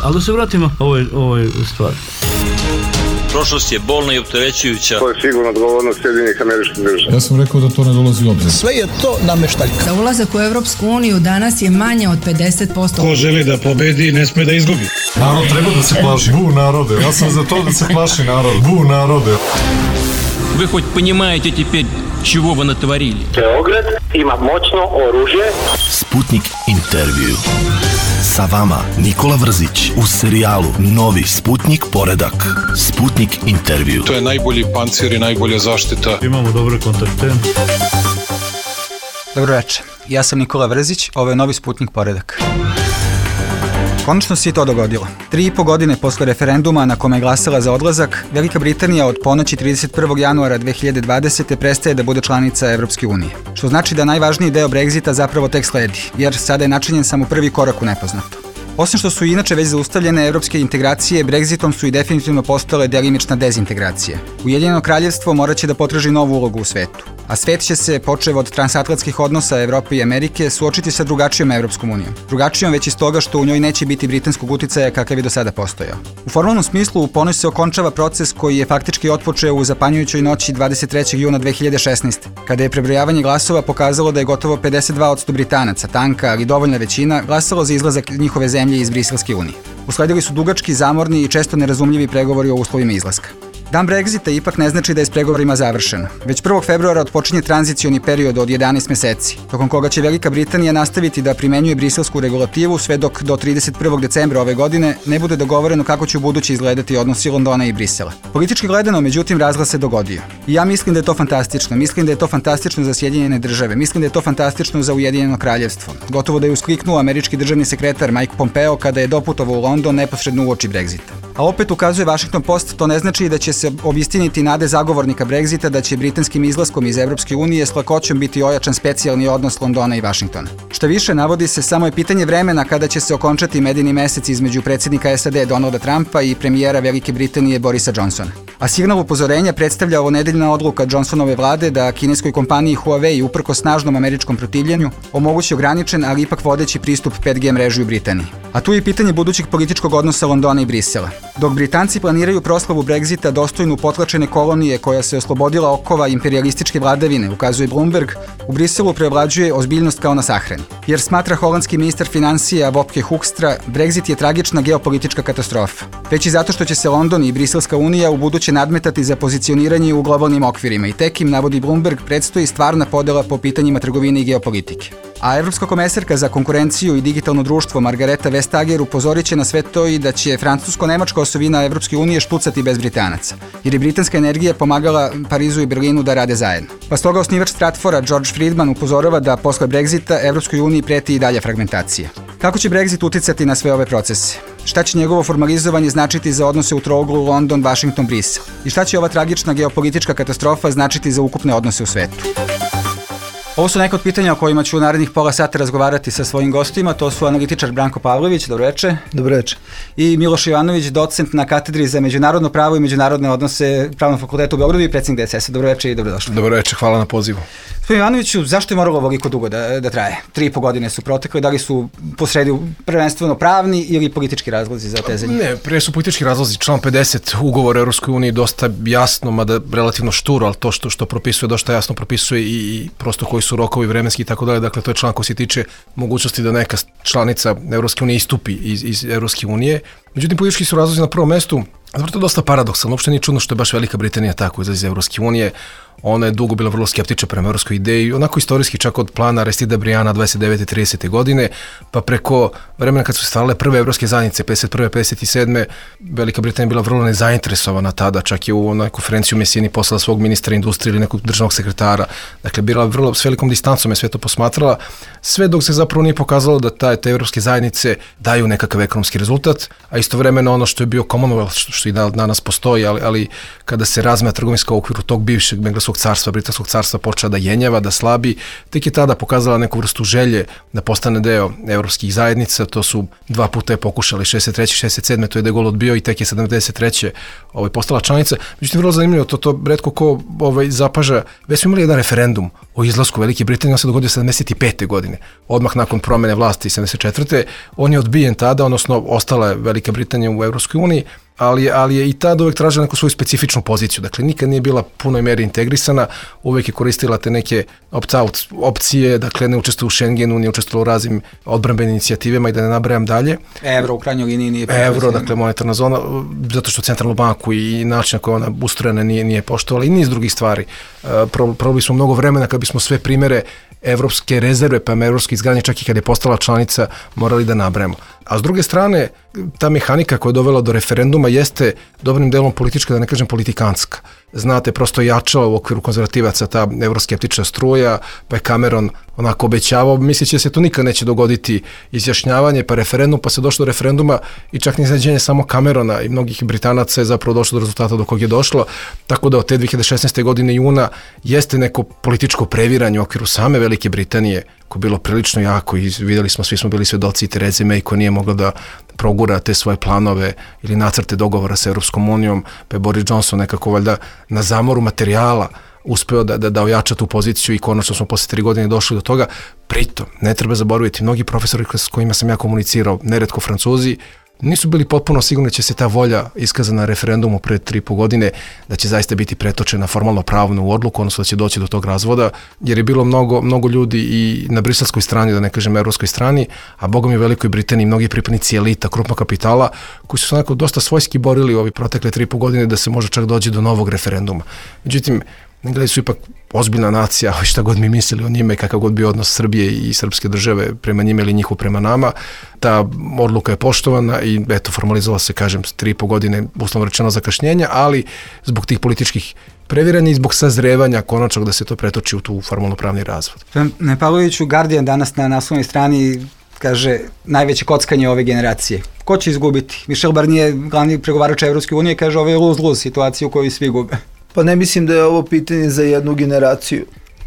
Ali da se vratimo ovoj stvari. Prošlost je bolna i opterećujuća. To je sigurno odgovornost Sjedinjenih Američkih Država. Ja sam rekao da to ne dolazi u obzir. Sve je to nameštaljka. Za ulazak u Evropsku uniju danas je manje od 50%. Ko želi da pobedi, ne sme da izgubi. Narod treba da se plaši. Bu narode. Ja sam za to da se plaši narod. Bu narode. Вы хоть понимаете теперь, чего вы натворили? Beograd ima moćno oružje. Sputnik intervju. Sa vama Nikola Vrzić u serijalu Novi Sputnik poredak. Sputnik intervju. To je najbolji pancir i najbolja zaštita. Imamo dobre kontakte. Dobro večer, ja sam Nikola Vrzić, ovo je Novi Sputnik poredak. Konačno se i to dogodilo. 3,5 godine posle referenduma na kome je glasala za odlazak, Velika Britanija od ponoći 31. januara 2020. prestaje da bude članica Evropske unije. Što znači da najvažniji deo Brexita zapravo tek sledi, jer sada je načinjen samo prvi korak u nepoznato. Osim što su inače već zaustavljene evropske integracije, Brexitom su i definitivno postale delimična dezintegracija. Ujedinjeno kraljevstvo morat će da potraži novu ulogu u svetu, a svet će se, počev od transatlantskih odnosa Evrope i Amerike, suočiti sa drugačijom Evropskom unijom. Drugačijom već iz toga što u njoj neće biti britanskog uticaja kakav je do sada postojao. U formalnom smislu u ponoć se okončava proces koji je faktički otpočeo u zapanjujućoj noći 23. juna 2016. kada je prebrojavanje glasova pokazalo da je gotovo 52% Britanaca, tanka ali dovoljna većina, glasalo za izlazak njihove zemlje iz Briselske unije. Usledili su dugački, zamorni i često nerazumljivi pregovori o uslovima izlaska. Dan Brexita ipak ne znači da je s pregovorima završeno. Već 1. februara otpočinje tranzicioni period od 11 meseci, tokom koga će Velika Britanija nastaviti da primenjuje briselsku regulativu sve dok do 31. decembra ove godine ne bude dogovoreno kako će u budući izgledati odnosi Londona i Brisela. Politički gledano, međutim, razglas se dogodio. I ja mislim da je to fantastično. Mislim da je to fantastično za Sjedinjene države. Mislim da je to fantastično za Ujedinjeno kraljevstvo. Gotovo da je uskliknuo američki državni sekretar Mike Pompeo kada je doputovao u London neposredno uoči Brexita. A opet ukazuje Washington Post, to ne znači da će se obistiniti nade zagovornika Brexita da će britanskim izlaskom iz Evropske unije s lakoćom biti ojačan specijalni odnos Londona i Vašingtona. Šta više, navodi se, samo je pitanje vremena kada će se okončati medeni mesec između predsjednika SAD Donalda Trumpa i premijera Velike Britanije Borisa Johnsona. A signal upozorenja predstavlja ovonedeljna odluka Johnsonove vlade da kineskoj kompaniji Huawei uprkos snažnom američkom protivljenju omogući ograničen, ali ipak vodeći pristup 5G mreži u Britaniji. A tu je pitanje budućeg političkog odnosa Londona i Brisela. Dok Britanci planiraju proslavu Brexita dostojnu potlačene kolonije koja se oslobodila okova imperijalističke vladavine, ukazuje Bloomberg, u Briselu preovlađuje ozbiljnost kao na sahrani. Jer smatra holandski ministar financija Wopke Hoekstra, Brexit je tragična geopolitička katastrofa. Već i zato što će se London i Briselska unija u buduće nadmetati za pozicioniranje u globalnim okvirima i tek im, navodi Bloomberg, predstoji stvarna podela po pitanjima trgovine i geopolitike. A evropska komesarka za konkurenciju i digitalno društvo Margareta Vestager upozorit će na sve to i da će francusko-nemačka osovina Evropske unije štucati bez Britanaca, jer je britanska energija pomagala Parizu i Berlinu da rade zajedno. Pa stoga osnivač Stratfora George Friedman upozorava da posle Brexita Evropskoj uniji preti i dalja fragmentacija. Kako će Brexit uticati na sve ove procese? Šta će njegovo formalizovanje značiti za odnose u trouglu London, Washington, Brisel? I šta će ova tragična geopolitička katastrofa značiti za ukupne odnose u svetu? Ovo su neka od pitanja o kojima ću u narednih pola sata razgovarati sa svojim gostima. To su analitičar Branko Pavlović, dobro večer. Dobro večer. I Miloš Ivanović, docent na katedri za međunarodno pravo i međunarodne odnose Pravnog fakulteta u Beogradu i predsjednik DSS-a. Dobro večer i dobrodošli. Dobro večer, hvala na pozivu. Gospodin Ivanoviću, zašto je moralo ovoliko dugo da traje? 3,5 godine su protekle, da li su posredi prvenstveno pravni ili politički razlozi za tezanje? Ne, prije su politički razlozi. Član 50 ugovora Europskoj uniji dosta jasno, mada relativno šturo, ali to što propisuje, dosta jasno propisuje i prosto koji su rokovi vremenski i tako dalje. Dakle, to je član koji se tiče mogućnosti da neka članica Europske unije istupi iz Europske unije. Međutim, politički su razlozi na prvom mestu. Zapravo to je dosta paradoksalno. Uopšte nije čudno što je baš Velika Britanija tako izlazi iz Europske unije. Ona je dugo bila vrlo skeptična prema evropskoj ideji, onako istorijski čak od plana Aristida Briana 29. i 30. godine, pa preko vremena kad su stvarale prve evropske zajednice, 51. 57. Velika Britanija bila vrlo nezainteresovana tada, čak je u onoj konferenciji u Mesini poslala svog ministra industrije ili nekog državnog sekretara, dakle bila vrlo s velikom distancom je sve to posmatrala, sve dok se zapravo nije pokazalo da te evropske zajednice daju nekakav ekonomski rezultat, a istovremeno ono što je bio Commonwealth, što i danas postoji, ali kada se razmea trgovinska u okviru tog bivšeg engleskog carstva, britanskog carstva počela da jenjava, da slabi, tek je tada pokazala neku vrstu želje da postane deo evropskih zajednica. To su 2 puta je pokušali, 63. 67. to je De Gaulle odbio i tek je 73. Postala članica. Međutim, vrlo zanimljivo, to retko ko zapaža. Već smo imali jedan referendum o izlasku Velike Britanije, on se dogodio 75. godine, odmah nakon promene vlasti 74. On je odbijen tada, odnosno ostala je Velika Britanija u Evropskoj uniji, ali je i tada uvek tražila neku svoju specifičnu poziciju. Dakle, nikad nije bila punoj meri integrisana, uvek je koristila te neke opt-out opcije, dakle, ne učestvuje u Schengenu, nije učestvovala u raznim odbrambenim inicijativama i da ne nabrajam dalje. Evro u krajnjoj liniji nije Evro, dakle, monetarna zona, zato što centralnu banku i način na koji ona ustrojena nije poštovala i niz drugih stvari. Probali smo mnogo vremena kad bismo sve primere evropske rezerve, pa evropske izgradnje, čak i kad je postala članica, morali da nabrajamo. A s druge strane, ta mehanika koja je dovela do referenduma jeste dobrim delom politička, da ne kažem politikanska. Znate, prosto jačala u okviru konzervativaca ta evroskeptična struja, pa je Cameron onako obećavao, misleći da se to nikad neće dogoditi izjašnjavanje, pa referendum, pa se došlo do referenduma i čak ni iznenađenje samo Camerona i mnogih Britanaca je zapravo došlo do rezultata do kog je došlo, tako da od te 2016. godine juna jeste neko političko previranje u okviru same Velike Britanije, koje je bilo prilično jako i videli smo, svi smo bili svedoci Therese May koja nije mogla da progura te svoje planove ili nacrte dogovora sa Europskom unijom, pa je Boris Johnson nekako valjda na zamoru materijala uspeo da ojača tu poziciju i konačno smo posle 3 godine došli do toga. Pritom, ne treba zaboraviti, mnogi profesori s kojima sam ja komunicirao, neretko Francuzi, nisu bili potpuno sigurni da će se ta volja iskazana na referendumu pre 3,5 godine, da će zaista biti pretočena formalno pravno u odluku, odnosno da će doći do tog razvoda, jer je bilo mnogo ljudi i na briselskoj strani, da ne kažem evropskoj strani, a bogom je u Velikoj Britaniji mnogi pripadnici elita, krupnog kapitala, koji su se onako dosta svojski borili u ovi protekle 3,5 godine da se može čak doći do novog referenduma. Međutim, Englezi su ipak ozbiljna nacija, šta god mi mislili o njima i kakav god bio odnos Srbije i srpske države prema njima ili njihov prema nama, ta odluka je poštovana i eto, formalizovala se, kažem, 3,5 godine, uslovno rečeno, zakašnjenja, ali zbog tih političkih previranja i zbog sazrevanja konačnog da se to pretoči u tu formalno-pravni razvod. Pavloviću, Guardian danas na naslovnoj strani kaže najveće kockanje ove generacije. Ko će izgubiti? Michel Barnier, glavni pregovarač Evropske unije, kaže ovo je lose-lose situacija u kojoj svi gube. Pa ne mislim da je ovo pitanje za jednu generaciju.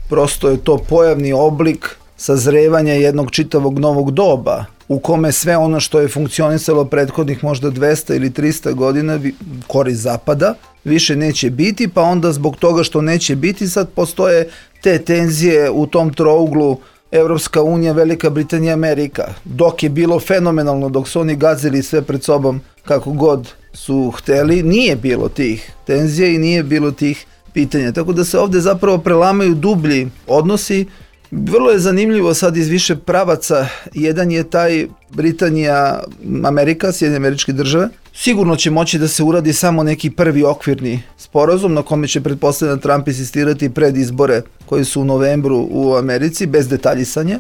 Prosto je to pojavni oblik sazrevanja jednog čitavog novog doba u kome sve ono što je funkcionisalo prethodnih možda 200 ili 300 godina korist zapada više neće biti, pa onda zbog toga što neće biti sad postoje te tenzije u tom trouglu Evropska unija, Velika Britanija, Amerika. Dok je bilo fenomenalno, dok su oni gazili sve pred sobom kako god su hteli, nije bilo tih tenzija i nije bilo tih pitanja. Tako da se ovde zapravo prelamaju dublji odnosi. Vrlo je zanimljivo sad iz više pravaca. Jedan je taj Britanija, Amerika, Sjedinjene Američke Države. Sigurno će moći da se uradi samo neki prvi okvirni sporazum na kome će pretpostavljeno Trump insistirati pred izbore koji su u novembru u Americi, bez detaljisanja.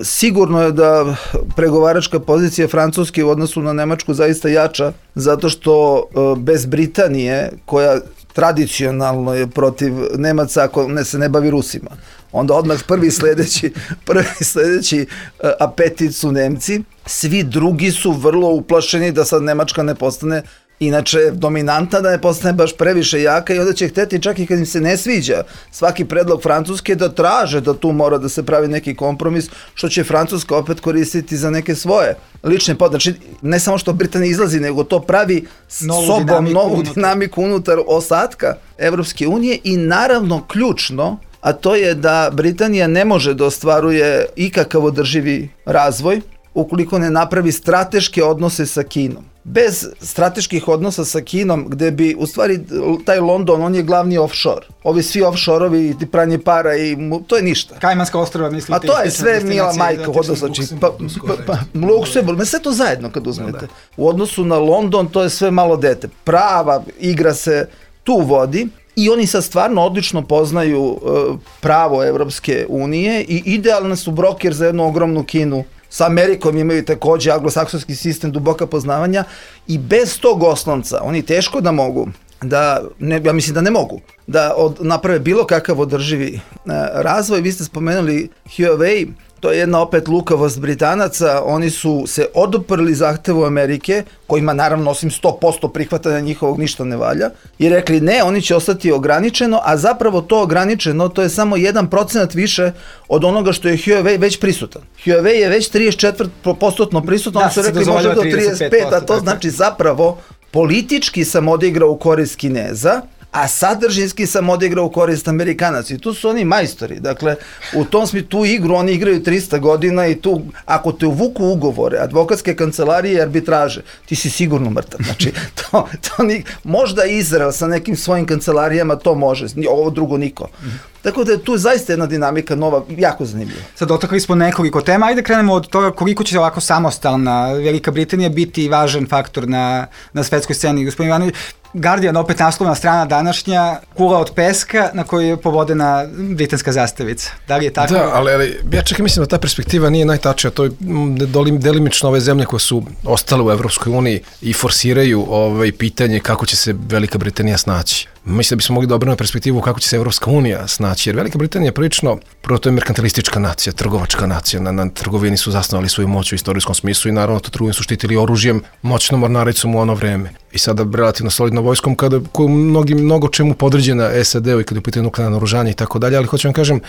Sigurno je da pregovaračka pozicija Francuske u odnosu na Nemačku zaista jača, zato što bez Britanije, koja tradicionalno je protiv Nemaca ako se ne bavi Rusima, onda odmah prvi sledeći apetit su Nemci, svi drugi su vrlo uplašeni da sad Nemačka ne postane inače dominantna, da ne postane baš previše jaka i onda će hteti čak i kad im se ne sviđa svaki predlog Francuske da traže da tu mora da se pravi neki kompromis, što će Francuska opet koristiti za neke svoje lične potrebe. Znači, ne samo što Britanija izlazi, nego to pravi novu dinamiku unutar ostatka Evropske unije i naravno ključno, a to je da Britanija ne može da ostvaruje ikakav održivi razvoj ukoliko ne napravi strateške odnose sa Kinom. Bez strateških odnosa sa Kinom, gde bi, u stvari, taj London, on je glavni offshore. Ovi svi offshore-ovi, pranje para i to je ništa. Kajmanska ostrva, mislite? A to je sve mila majka, odnosno, Luksemburg, sve to zajedno kad uzmete. U odnosu na London, to je sve malo dete. Prava igra se tu vodi. I oni sad stvarno odlično poznaju pravo Evropske unije i idealni su broker za jednu ogromnu Kinu. Sa Amerikom imaju takođe anglosaksonski sistem duboka poznavanja i bez tog oslonca oni teško da mogu, ja mislim da ne mogu, da naprave bilo kakav održivi razvoj. Vi ste spomenuli Huawei, To je jedna opet lukavost Britanaca, oni su se oduprli zahtevu Amerike, kojima naravno osim 100% prihvatanja njihovog ništa ne valja, i rekli ne, oni će ostati ograničeno, a zapravo to ograničeno, to je samo 1% više od onoga što je Huawei već prisutan. Huawei je već 34% prisutan, oni su rekli može do 35%, a to znači zapravo politički sam odigrao u korist Kineza, a sadržinski sam odigrao u korist Amerikanaca. I tu su oni majstori. Dakle, u tom smislu, tu igru oni igraju 300 godina i tu, ako te uvuku ugovore, advokatske kancelarije i arbitraže, ti si sigurno mrtav. Znači, možda Izrael sa nekim svojim kancelarijama to može, ovo drugo niko. Tako da je tu zaista jedna dinamika nova, jako zanimljiva. Sad dotakli smo nekoliko tema, ajde krenemo od toga koliko će ovako samostalna Velika Britanija biti važan faktor na svetskoj sceni. Gospodin Ivanović, Guardian, opet naslovna strana današnja, kula od peska na kojoj je povodena britanska zastavica. Da li je tako? Da, ali ja čekaj, mislim da ta perspektiva nije najtačnija. To je delimično ove zemlje koje su ostale u Evropskoj uniji i forsiraju pitanje kako će se Velika Britanija snaći. Mislim da bismo mogli da obrnemo perspektivu kako će se Evropska unija snaći, jer Velika Britanija je prilično, prvo to je merkantilistička nacija, trgovačka nacija, na trgovini su zasnovali svoju moć u istorijskom smislu i naravno to trgovinu su štitili oružjem, moćnom mornaricom u ono vreme. I sada relativno solidnom vojskom koju mnogo čemu podređena SAD-u i kada je u pitanju nuklearno naoružanje i tako dalje, ali hoću vam kažem,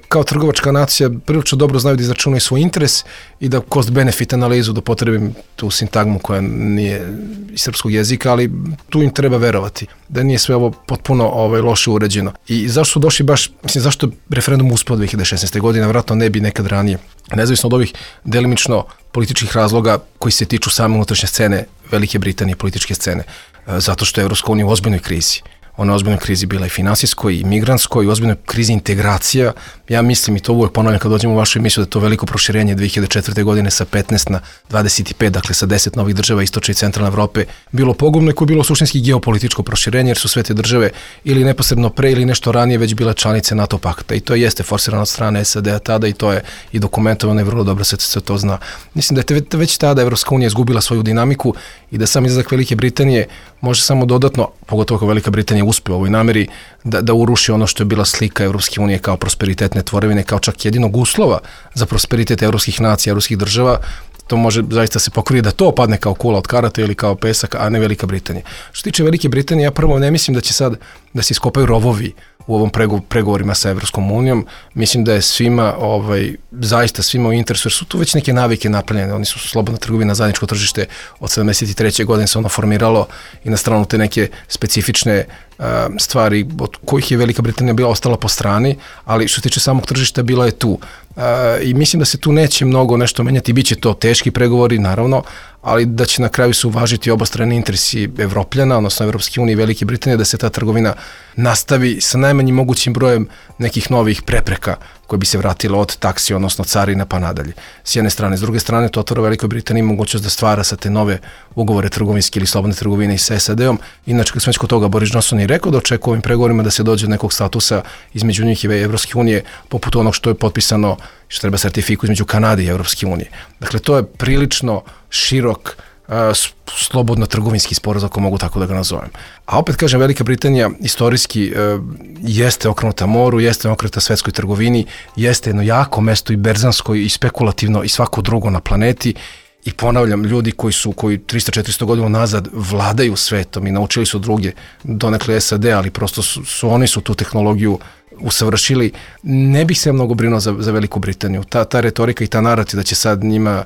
kao trgovačka nacija prilično dobro znaju da izračunaju svoj interes i da cost-benefit analizu, da potrebim tu sintagmu koja nije iz srpskog jezika, ali tu im treba verovati, da nije sve ovo potpuno loše uređeno. I zašto su došli baš, mislim, zašto referendum uspeo 2016. godine, vjerojatno ne bi nekad ranije, nezavisno od ovih delimično političkih razloga koji se tiču same unutrašnje scene Velike Britanije, političke scene, zato što je Evropska unija u ozbiljnoj krizi. Ona je ozbiljnoj krizi bila i finansijskoj, i migrantskoj, i ozbiljnoj krizi integracija. Ja mislim, i to uvijek ponavljam kad dođemo u vašu emisiju, da to veliko proširenje 2004. godine sa 15 na 25, dakle sa 10 novih država istočne i centralne Evrope, bilo pogubno i koje je bilo suštinski geopolitičko proširenje, jer su sve te države ili neposredno pre ili nešto ranije već bile članice NATO pakta. I to jeste forsirano od strane SAD-a tada i to je i dokumentovano i vrlo dobro se to zna. Mislim da je već tada Evropska unija izgubila svoju dinamiku i da sam izlazak Velike Britanije može samo dodatno, pogotovo kao Velika Britanija uspe u ovoj nameri, da uruši ono što je bila slika Evropske unije kao prosperitetne tvorevine, kao čak jedinog uslova za prosperitet evropskih nacija, evropskih država. To može zaista se pokrije da to padne kao kula od karata ili kao pesak, a ne Velika Britanija. Što se tiče Velike Britanije, ja prvo ne mislim da će sad da se iskopaju rovovi u ovom pregovorima sa Evropskom unijom. Mislim da je svima, zaista svima u interesu, jer su tu već neke navike napravljene. Oni su slobodna trgovina, zajedničko tržište od 73. godine se ono formiralo i na stranu te neke specifične stvari od kojih je Velika Britanija bila ostala po strani, ali što se tiče samog tržišta bila je tu. I mislim da se tu neće mnogo nešto menjati, bit će to teški pregovori, naravno, ali da će na kraju se uvažiti obostrani interesi Evropljana, odnosno Evropske unije i Velike Britanije, da se ta trgovina nastavi sa najmanjim mogućim brojem nekih novih prepreka koje bi se vratile od taksi, odnosno carina pa nadalje. S jedne strane. S druge strane, to otvara Velikoj Britaniji mogućnost da stvara sa te nove ugovore trgovinske ili slobodne trgovine i sa SAD-om. Inače, kad smo već kod toga, Boris Johnson je rekao da očekuje ovim pregovorima da se dođe do nekog statusa između njih i Evropske unije, poput onog što je potpisano, što treba sertifiku između Kanade i Evropske unije. Dakle, to je prilično širok slobodno trgovinski sporazum, ako mogu tako da ga nazovem. A opet kažem, Velika Britanija istorijski jeste okrenuta moru, jeste okrenuta svetskoj trgovini, jeste jedno jako mesto i berzansko i spekulativno i svako drugo na planeti. I ponavljam, ljudi koji 300-400 godina nazad vladaju svetom i naučili su druge, donekle SAD, ali prosto oni su tu tehnologiju usavršili. Ne bih se mnogo brinuo za Veliku Britaniju. Ta retorika i ta narativ da će sad njima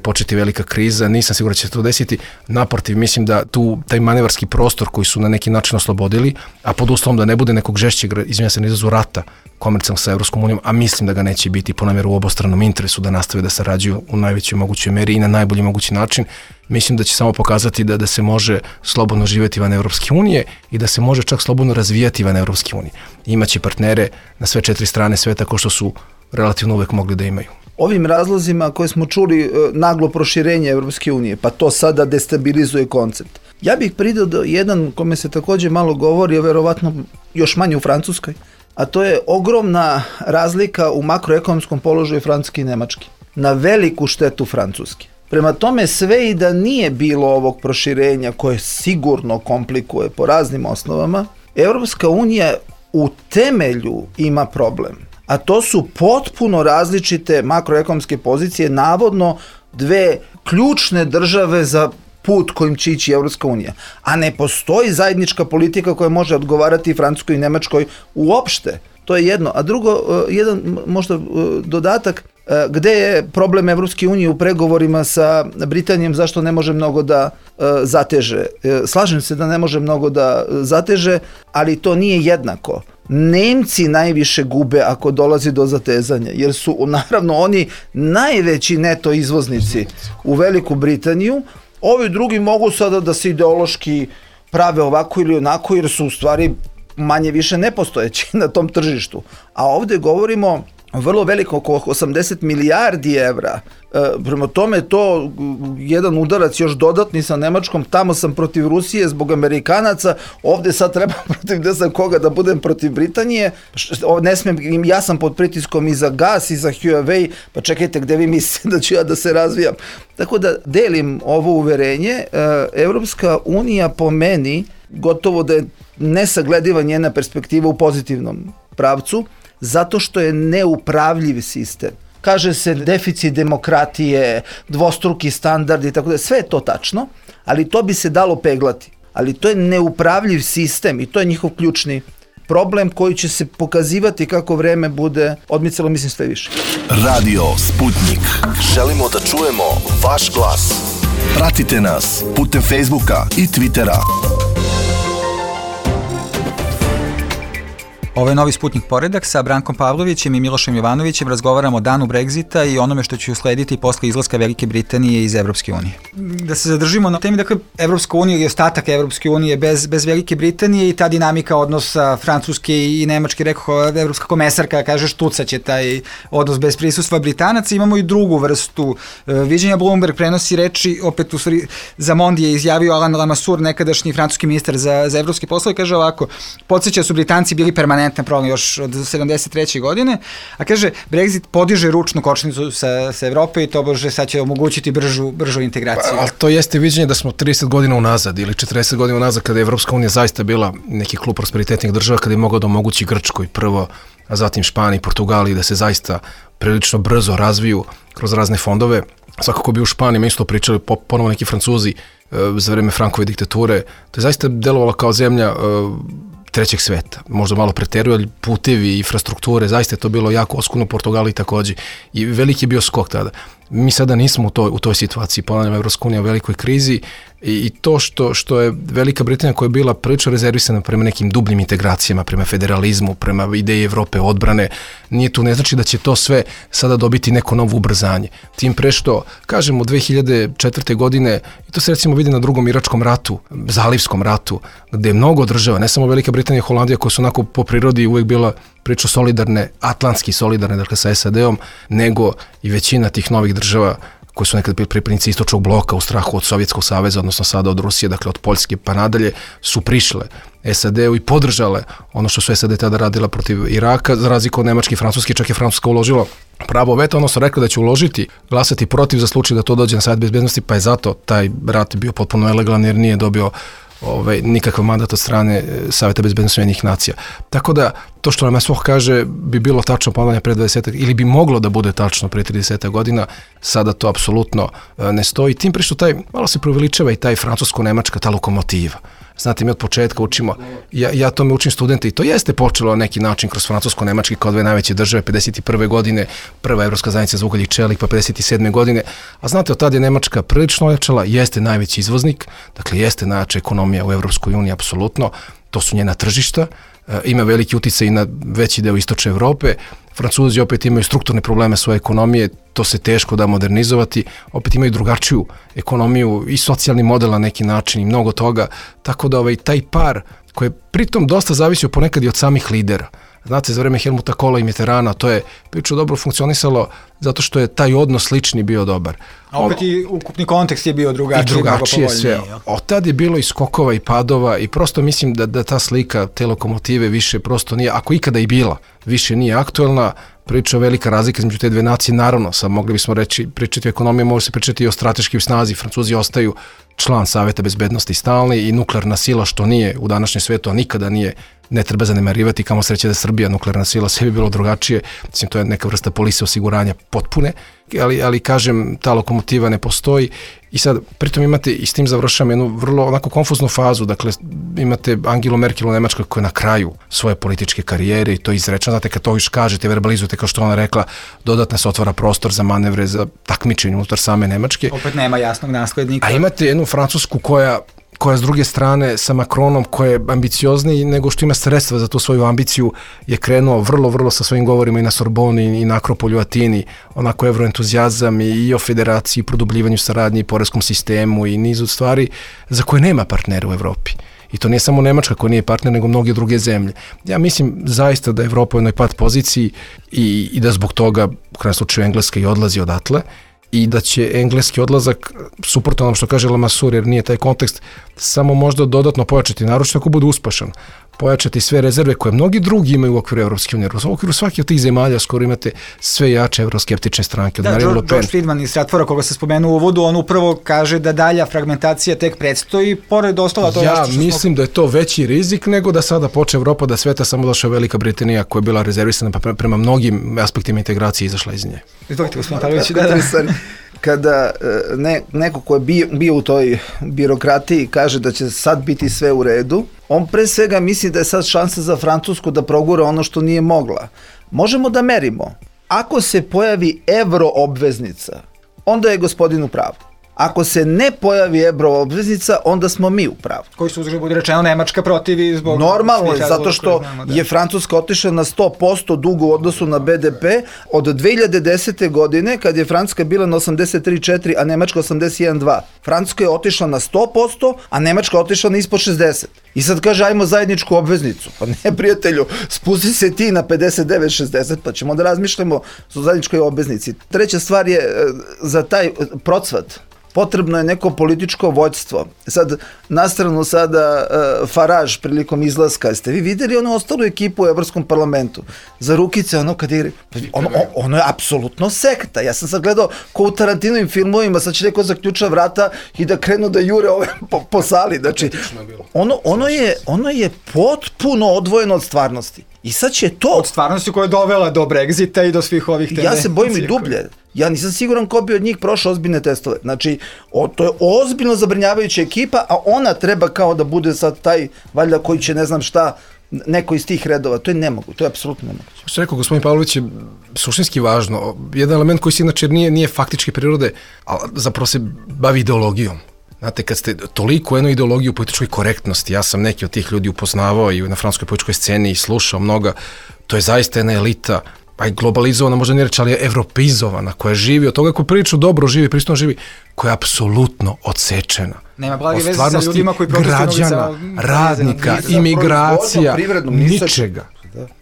početi velika kriza, nisam siguran da će se to desiti. Naprotiv, mislim da taj manevarski prostor koji su na neki način oslobodili, a pod uslovom da ne bude nekog žešćeg, izvinjam se, na izrazu rata komercijalnog sa Evropskom unijom, a mislim da ga neće biti po namjeru u obostranom interesu da nastave da sarađuju u najvećoj mogućoj meri i na najbolji mogući način. Mislim da će samo pokazati da se može slobodno živjeti van Evropske unije i da se može čak slobodno razvijati van Evropske unije. Imaće partnere na sve 4 strane sveta kao što su relativno uvek mogli da imaju. Ovim razlozima koje smo čuli, naglo proširenje Evropske unije, pa to sada destabilizuje koncept. Ja bih pridao do jedan kome se također malo govori, a verovatno još manje u Francuskoj, a to je ogromna razlika u makroekonomskom položaju Francuske i Nemačke. Na veliku štetu Francuske. Prema tome, sve i da nije bilo ovog proširenja koje sigurno komplikuje po raznim osnovama, Evropska unija u temelju ima problem. a to su potpuno različite makroekonomske pozicije, navodno dve ključne države za put kojim će ići Evropska unija. A ne postoji zajednička politika koja može odgovarati Francuskoj i Nemačkoj uopšte. To je jedno. A drugo, jedan možda dodatak, gde je problem Evropske unije u pregovorima sa Britanijom, zašto ne može mnogo da zateže? Slažem se da ne može mnogo da zateže, ali to nije jednako. Nemci najviše gube ako dolazi do zatezanja, jer su naravno oni najveći neto izvoznici u Veliku Britaniju. Ovi drugi mogu sada da se ideološki prave ovako ili onako, jer su u stvari manje više nepostojeći na tom tržištu. A ovdje govorimo vrlo veliko, oko 80 milijardi evra. Prema tome to jedan udarac još dodatni sa Nemačkom, tamo sam protiv Rusije zbog Amerikanaca, ovdje sad treba protiv ne znam koga da budem protiv Britanije, ne smijem, ja sam pod pritiskom i za gas i za Huawei, pa čekajte gdje vi mislite da ću ja da se razvijam. Tako da delim ovo uverenje, Evropska unija po meni gotovo da je nesaglediva njena perspektiva u pozitivnom pravcu, zato što je neupravljiv sistem. Kaže se deficit demokratije, dvostruki standardi, tako da sve je to tačno, ali to bi se dalo peglati. Ali to je neupravljiv sistem i to je njihov ključni problem koji će se pokazivati kako vreme bude odmicalo, mislim, sve više. Radio Sputnik. Želimo da čujemo vaš glas. Pratite nas putem Facebooka i Twittera. Ovo je Novi Sputnik Poredak, sa Brankom Pavlovićem i Milošem Jovanovićem razgovaramo o danu Brexita i onome što će uslediti posle izlaska Velike Britanije iz Evropske unije. Da se zadržimo na temi, dakle, Evropska unija i ostatak Evropske unije bez Velike Britanije i ta dinamika odnosa Francuske i Nemačke, rekao evropska komesarka, kaže štucaće taj odnos bez prisustva Britanaca. Imamo i drugu vrstu viđenja. Bloomberg prenosi reči, opet u stvari za Mondi je izjavio Alain Lamassoure, nekadašnji francuski ministar za evropske poslove, kaže ovako: podsjeća su Britanci bili permanentni problem još od 73. godine, a kaže Brexit podiže ručnu kočnicu sa Evrope i to bože sad će omogućiti bržu integraciju. Ali to jeste viđenje da smo 30 godina unazad ili 40 godina unazad, kada je Evropska unija zaista bila neki klub prosperitetnih država, kada je mogao da omogući Grčkoj prvo, a zatim Španiji, Portugaliji da se zaista prilično brzo razviju kroz razne fondove. Svakako bi u Španiji isto pričali ponovo neki Francuzi za vreme Frankove diktature. To je zaista delovalo kao zemlja trećeg sveta. Možda malo preteruju, ali putevi, infrastrukture, zaista je to bilo jako oskudno u Portugaliji također. I veliki je bio skok tada. Mi sada nismo u toj situaciji, ponavljam, Evropska unija u velikoj krizi i to što je Velika Britanija koja je bila prilično rezervisana prema nekim dubljim integracijama, prema federalizmu, prema ideji Evrope odbrane, nije tu, ne znači da će to sve sada dobiti neko novo ubrzanje. Tim pre što, kažemo, 2004. godine, i to se recimo vidi na drugom Iračkom ratu, Zalivskom ratu, gde je mnogo država, ne samo Velika Britanija i Holandija, koje su onako po prirodi uvijek bila priča solidarne, atlantski solidarne, dakle sa SAD-om, nego i većina tih novih država koji su nekad bili pripadnici istočnog bloka u strahu od Sovjetskog saveza, odnosno sada od Rusije, dakle od Poljske pa nadalje, su prišle SAD-u i podržale ono što su SAD tada radila protiv Iraka, za razliku od Nemačke i Francuske, čak je Francuska uložila pravo veta, odnosno rekla da će uložiti, glasati protiv za slučaj da to dođe na Savet bezbednosti, pa je zato taj rat bio potpuno ilegalan jer nije dobio nikakav mandat od strane Saveta bezbednosti Ujedinjenih nacija. Tako da, to što nam Lamassoure kaže bi bilo tačno ponavljanje pre 20 ili bi moglo da bude tačno pre 30 godina, sada to apsolutno ne stoji. Tim pre što malo se preuveličava i taj francusko-nemačka, ta lokomotiva. Znate, mi od početka učimo, ja tome učim studente i to jeste počelo na neki način kroz francusko-nemački kao dve najveće države, 51. godine, prva Evropska zajednica za ugalj i čelik, pa 57. godine, a znate, od tada je Nemačka prilično ojačala, jeste najveći izvoznik, dakle jeste najjača ekonomija u Evropskoj uniji, apsolutno, to su njena tržišta, ima veliki uticaj i na veći deo istočne Evrope. Francuzi opet imaju strukturne probleme svoje ekonomije, to se teško da modernizovati, opet imaju drugačiju ekonomiju i socijalni model na neki način i mnogo toga, tako da taj par koji je pritom dosta zavisio ponekad i od samih lidera. Znate, za vreme Helmuta Kohla i Mitterranda to je priču dobro funkcionisalo zato što je taj odnos slični bio dobar. A opet i ukupni kontekst je bio drugačiji. I drugačije sve. Od tad je bilo i skokova i padova i prosto mislim da ta slika te lokomotive više prosto nije, ako ikada i bila, više nije aktuelna. Priča velika razlika između te dve nacije, naravno, sad mogli bismo pričati o ekonomiji, može se pričati i o strateškoj snazi. Francuzi ostaju član Saveta bezbednosti stalni i nuklearna sila, što nije u današnjem svetu, a nikada nije ne treba zanemarivati, kamo sreće da Srbija nuklearna sila, sve bi bilo drugačije, mislim to je neka vrsta polise osiguranja potpune, ali kažem, ta lokomotiva ne postoji i sad pritom imate, i s tim završam, jednu vrlo onako konfuznu fazu, dakle imate Angelu Merkel u Nemačkoj koja je na kraju svoje političke karijere i to izrečeno, znate kad to još kažete, verbalizujete kao što ona rekla, dodatno se otvara prostor za manevre, za takmičenje unutar same Nemačke. Opet nema jasnog naslednika. A imate jednu Francusku koja s druge strane sa Macronom, koja je ambiciozniji nego što ima sredstva za tu svoju ambiciju, je krenuo vrlo sa svojim govorima i na Sorboni i na Akropolju Atini, onako evroentuzijazam i o federaciji, produbljivanju saradnje i poreskom sistemu i nizu stvari za koje nema partnera u Evropi. I to nije samo Nemačka koja nije partner, nego mnoge druge zemlje. Ja mislim zaista da je Evropa u jednoj pad poziciji i da zbog toga, u krajnjem slučaju, Engleska i odlazi odatle, i da će engleski odlazak, suprotno onom što kaže Lamassur, jer nije taj kontekst, samo možda dodatno pojačati, naročito ako bude uspešan, pojačati sve rezerve koje mnogi drugi imaju u okviru Evropske unije. U okviru svake od tih zemalja skoro imate sve jače evroskeptične stranke. Da, George Friedman iz Stratfora, koga se spomenuo u uvodu, on upravo kaže da dalja fragmentacija tek predstoji, pored ostala to ja mislim da je to veći rizik nego da sada poče Evropa da sveta, samo došla Velika Britanija koja je bila rezervisana prema mnogim aspektima integracije izašla iz nje. Izvolite, gospodin Pavlović, kada neko ko je bio u toj birokratiji kaže da će sad biti sve u redu, on pre svega misli da je sad šansa za Francusku da progura ono što nije mogla. Možemo da merimo. Ako se pojavi evroobveznica, onda je gospodin u pravu. Ako se ne pojavi evroobveznica, onda smo mi u pravu. Koji su, uzgled, budi rečeno, Nemačka protivi zbog... Normalno je, zato što je Francuska otišla na 100% dugu u odnosu na BDP od 2010. godine, kad je Francuska bila na 83,4, a Nemačka 81,2. Francuska je otišla na 100%, a Nemačka otišla na ispod 60. I sad kaže, ajmo zajedničku obveznicu. Pa ne, prijatelju, spusti se ti na 59-60, pa ćemo da razmišljamo o zajedničkoj obveznici. Treća stvar je, za taj procvat potrebno je neko političko vođstvo. Sad, nastranu sada Farage prilikom izlaska, ste vi videli onu ostalu ekipu u Evropskom parlamentu? Za rukice, ono kad je... Ono je apsolutno sekta. Ja sam sad gledao ko u Tarantinovim filmovima, sad će neko zaključa vrata i da krenu da jure ove po sali. Znači, ono je potpuno odvojeno od stvarnosti. I sad će to... Od stvarnosti koja je dovela do Brexita i do svih ovih tendencija. Ja se bojim i dublje. Ja nisam siguran ko bi od njih prošao ozbiljne testove. Znači, to je ozbiljno zabrinjavajuća ekipa, a ona treba kao da bude sad taj, valjda koji će ne znam šta, neko iz tih redova. To je nemoguće, to je apsolutno nemoguće. Što rekao gospodin Pavlović je suštinski važno. Jedan element koji se inače nije faktički prirode, ali zapravo se bavi ideologijom. Znate, kad ste toliko jednu ideologiju političkoj korektnosti, ja sam neki od tih ljudi upoznavao i na francuskoj političkoj sceni i slušao mnoga, to je zaista jedna elita, pa i globalizovana, možda ne reći, ali je evropeizovana, koja živi od toga, koja prilično dobro živi, pristojno živi, koja je apsolutno odsečena. Nema blage veze sa ljudima koji građana, radnika, imigracija, ničega.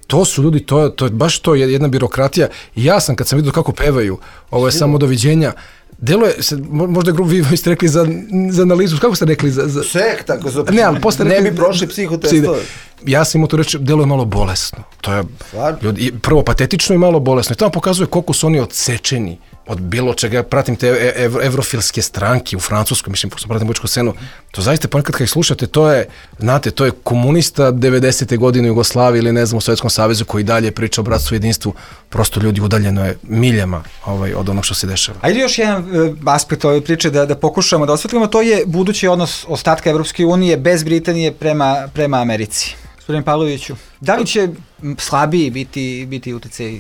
To su ljudi, to je baš to jedna birokratija. I ja sam, kad sam vidio kako pevaju, ovo je samo doviđenja, deluje, možda vi ste rekli za analizu, kako ste rekli? Sekta, ako su ne bi prošli psihotestove. Ja sam imao to reći, deluje malo bolesno. To je prvo patetično i malo bolesno. I tamo pokazuje koliko su oni odsečeni od bilo čega. Ja pratim te evrofilske stranke u Francuskoj, mislim, pošto pratim političku scenu. To zaista ponekad kad ih slušate, to je komunista 90. godine u Jugoslaviji ili ne znam u Sovjetskom savezu koji dalje priča o bratstvu i jedinstvu. Prosto ljudi udaljeno je miljama od onog što se dešava. Ajde još jedan aspekt ove priče da pokušamo da osvetlimo, to je budući odnos ostatka Evropske unije bez Britanije prema Americi. Gospodin Pavloviću, da li će slabiji biti utjecaj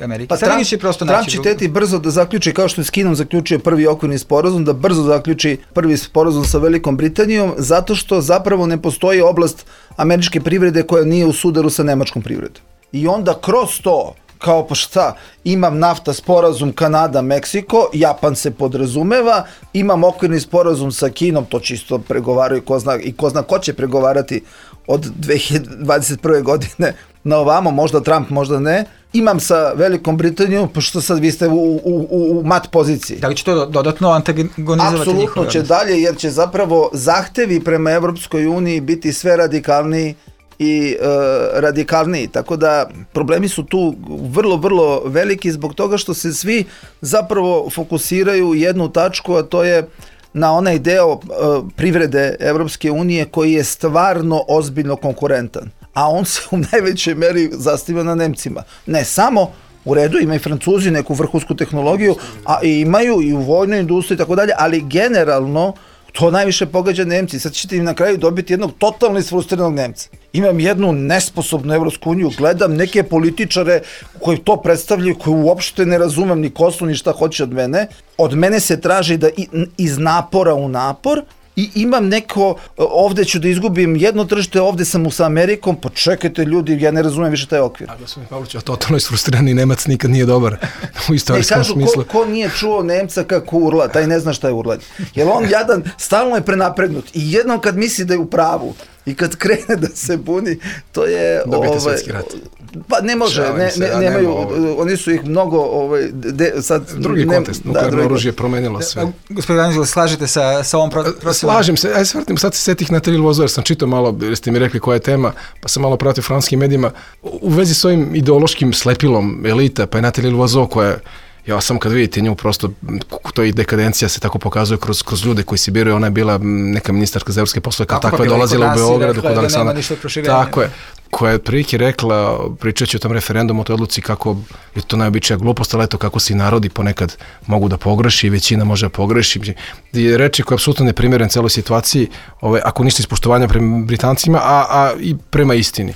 Amerike? Pa Trump će teti brzo da zaključi, kao što je s Kinom zaključio prvi okvirni sporazum, da brzo zaključi prvi sporazum sa Velikom Britanijom, zato što zapravo ne postoji oblast američke privrede koja nije u sudaru sa nemačkom privredom. I onda kroz to, kao pa šta, imam nafta sporazum Kanada-Meksiko, Japan se podrazumeva, imam okvirni sporazum sa Kinom, to čisto pregovaraju i ko zna ko će pregovarati od 2021. godine na ovamo, možda Trump, možda ne. Imam sa Velikom Britanijom, pošto sad vi ste u mat poziciji. Da li će to dodatno antagonizovati njihove? Apsolutno će dalje, jer će zapravo zahtevi prema Evropskoj uniji biti sve radikalniji i radikalniji, tako da problemi su tu vrlo, vrlo veliki zbog toga što se svi zapravo fokusiraju u jednu tačku, a to je na onaj deo privrede Evropske unije koji je stvarno ozbiljno konkurentan. a on se u najvećoj meri zasniva na Nemcima. Ne samo, u redu, ima i Francuzi neku vrhunsku tehnologiju, a imaju i u vojnoj industriji i tako dalje, ali generalno to najviše pogađa Nemci. Sad ćete im na kraju dobiti jednog totalno isfrustriranog Nemca. Imam jednu nesposobnu Evropsku uniju, gledam neke političare koji to predstavljaju, koji uopšte ne razumem ni ko su, ni šta hoće od mene. Od mene se traži da iz napora u napor, i imam neko, ovde ću da izgubim jedno tržište, ovde sam sa Amerikom, pa čekajte ljudi, ja ne razumem više taj okvir. A gospodin Pavlović, a totalno isfrustrirani Nemac nikad nije dobar u istorijskom smislu. Ko nije čuo Nemca kako urla, taj ne zna šta je urlanje. Jer on jadan stalno je prenapregnut i jednom kad misli da je u pravu i kad krene da se buni, to je... Dobijete svetski rat. Pa ne može, nemaju, oni su ih mnogo... sad, drugi kontekst, nuklearno oružje promenilo sve. Gospodin Danilo, slažete sa ovom procesom? Slažem se, sad se setih Natalije Loiseau, jer sam čitao malo, jer ste mi rekli koja je tema, pa sam malo pratio francuskim medijima, u vezi s ovim ideološkim slepilom elita, pa je Natalije Loiseau koja je, ja sam kad vidite nju prosto, to i dekadencija se tako pokazuje kroz ljude koji se biraju, ona je bila neka ministarka za evropske poslove, kao takva je dolazila u Beogradu kod Aleksandra. Tako je, koja je prilike rekla, pričajući o tom referendumu, o toj odluci kako je to najobičnija glupost, ali eto kako se i narodi ponekad mogu da pogreši i većina može da pogreši. Reči koja je apsolutno neprimjeren celoj situaciji, ako ništa ispoštovanja prema Britancima, a i prema istini.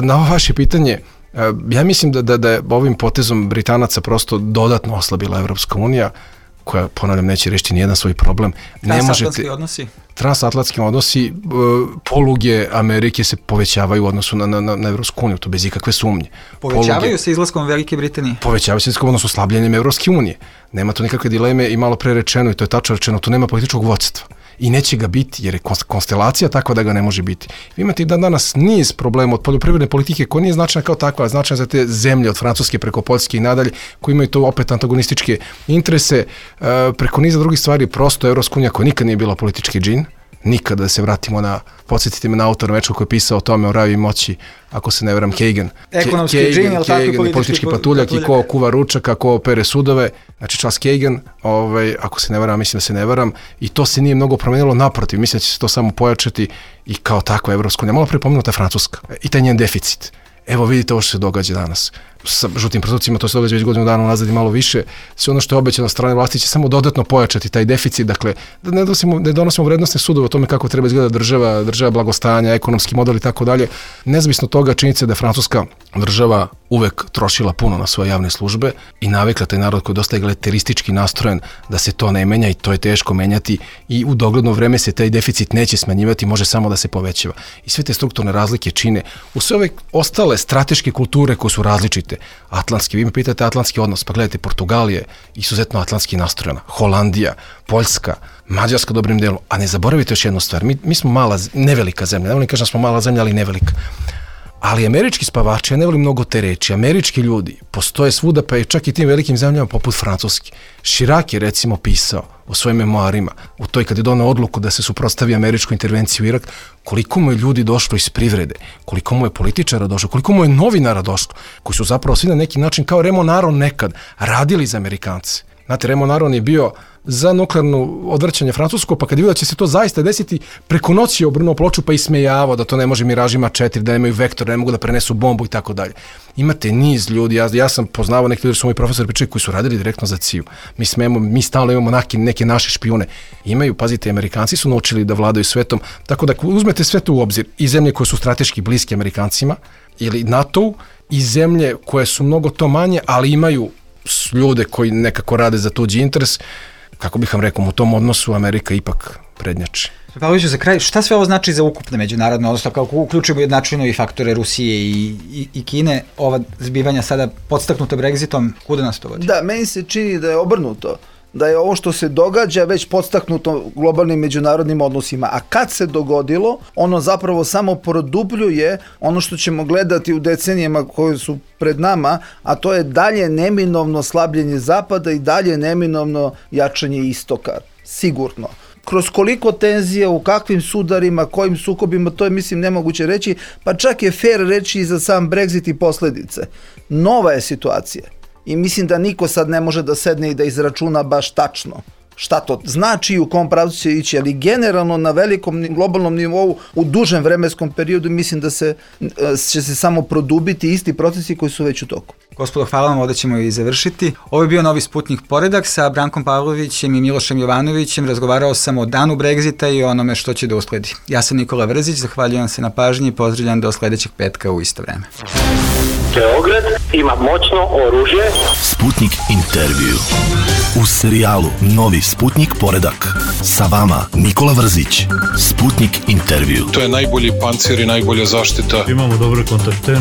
Na ovo vaše pitanje, ja mislim da je ovim potezom Britanaca prosto dodatno oslabila Evropska unija, koja, ponavljam, neće rešiti nijedan svoj problem. Transatlantski odnosi, poluge Amerike se povećavaju u odnosu na Evropsku uniju, to bez ikakve sumnje. Povećavaju se izlaskom Velike Britanije? Povećavaju se izlaskom, odnosno slabljenjem Evropske unije. Nema tu nikakve dileme i malo pre rečeno, i to je tačno rečeno, tu nema političkog vodstva. I neće ga biti, jer je konstelacija takva da ga ne može biti. Vi imate i danas niz problema od poljoprivredne politike koja nije značajna kao takva, značajna za te zemlje od Francuske preko Poljske i nadalje, koji imaju to opet antagonističke interese. Preko niza drugih stvari, prosto Evropska unija koja nikad nije bila politički džin, nikada, da se vratimo podsjetite me na autora večera koji je pisao o tome, o ravi moći, ako se ne veram, Kagan. Ekonomski džin, ali tako i politički patuljak i ko kuva ručaka, ko pere sudove, znači Charles Kagan, ako se ne veram, mislim da se ne veram, i to se nije mnogo promenilo, naprotiv, mislim da će se to samo pojačati i kao takva Evropska unija. Malo prepomenuta Francuska i taj njen deficit. Evo vidite ovo što se događa danas. Sa žutim protocima to se događa već godinu dana unazad i malo više. Sve ono što je obećano od strane vlasti će samo dodatno pojačati taj deficit. Dakle, da ne donosimo vrednostne sudove o tome kako treba izgledati država blagostanja, ekonomski model i tako dalje. Nezavisno toga, činjenica da je Francuska država uvek trošila puno na svoje javne službe i navikla taj narod koji je dosta egalitaristički nastrojen da se to ne menja i to je teško menjati i u dogledno vreme se taj deficit neće smanjivati, može samo da se povećava. I sve te strukturne razlike čine u sve ove ostale strateške kulture koje su različite. Atlantski, vi me pitate atlantski odnos, pa gledajte, Portugal je izuzetno atlantski nastrojena, Holandija, Poljska, Mađarska dobrim delom, a ne zaboravite još jednu stvar, mi smo nevelika zemlja, ne volim kažem da smo mala zemlja, ali nevelika. Ali američki spavači, ja ne volim mnogo te reči, američki ljudi postoje svuda, pa i čak i tim velikim zemljama poput Francuski. Chirac je recimo pisao u svojim memoarima, u toj kad je donao odluku da se suprotstavi američkoj intervenciji u Irak, koliko mu je ljudi došlo iz privrede, koliko mu je političara došlo, koliko mu je novinara došlo, koji su zapravo svi na neki način kao Remo Naron nekad radili za Amerikance. Znate, Remo Naron je bio za nuklearno odvrćanje francusko, pa kad je vidio da će se to zaista desiti, preko noći je obrnuo ploču pa ismejavao da to ne može Miražima 4, da nemaju vektor, da ne mogu da prenesu bombu i tako dalje. Imate niz ljudi, ja sam poznavao neki ljudi, su moji profesori pričali koji su radili direktno za CIA. Mi stalno imamo neke naše špijune. Imaju, pazite, Amerikanci su naučili da vladaju svetom, tako da uzmete sve to u obzir, i zemlje koje su strateški bliske Amerikancima ili NATO-u, i zemlje koje su mnogo to manje, ali imaju ljude koji nekako rade za tuđi interes, kako bih vam rekao, u tom odnosu Amerika ipak prednjači. Pavloviću, za kraj, šta sve ovo znači za ukupne međunarodne odnose, kako uključimo jednačinu i faktore Rusije i Kine, ova zbivanja sada podstaknuta Brexitom, kuda nas to vodi? Da, meni se čini da je obrnuto, da je ovo što se događa već podstaknuto globalnim međunarodnim odnosima, a kad se dogodilo, ono zapravo samo produbljuje ono što ćemo gledati u decenijama koje su pred nama, a to je dalje neminovno slabljenje Zapada i dalje neminovno jačanje Istoka, sigurno. Kroz koliko tenzija, u kakvim sudarima, kojim sukobima, to je, mislim, nemoguće reći, pa čak je fair reći i za sam Brexit i posljedice. Nova je situacija. I mislim da niko sad ne može da sedne i da izračuna baš tačno šta to znači i u kom pravcu će ići, ali generalno na velikom globalnom nivou u dužem vremenskom periodu mislim da će se samo produbiti isti procesi koji su već u toku. Gospodo, hvala vam, ovdje ćemo i završiti. Ovo je bio Novi Sputnik Poredak sa Brankom Pavlovićem i Milošem Jovanovićem. Razgovarao sam o danu Brexita i o onome što će da usledi. Ja sam Nikola Vrzić, zahvaljujem se na pažnji i pozdravljam do sledećeg petka u isto vreme. Beograd ima moćno oružje. Sputnik intervju. U serijalu Novi Sputnik Poredak. Sa vama Nikola Vrzić. Sputnik intervju. To je najbolji pancir i najbolja zaštita. Imamo dobre kontakte.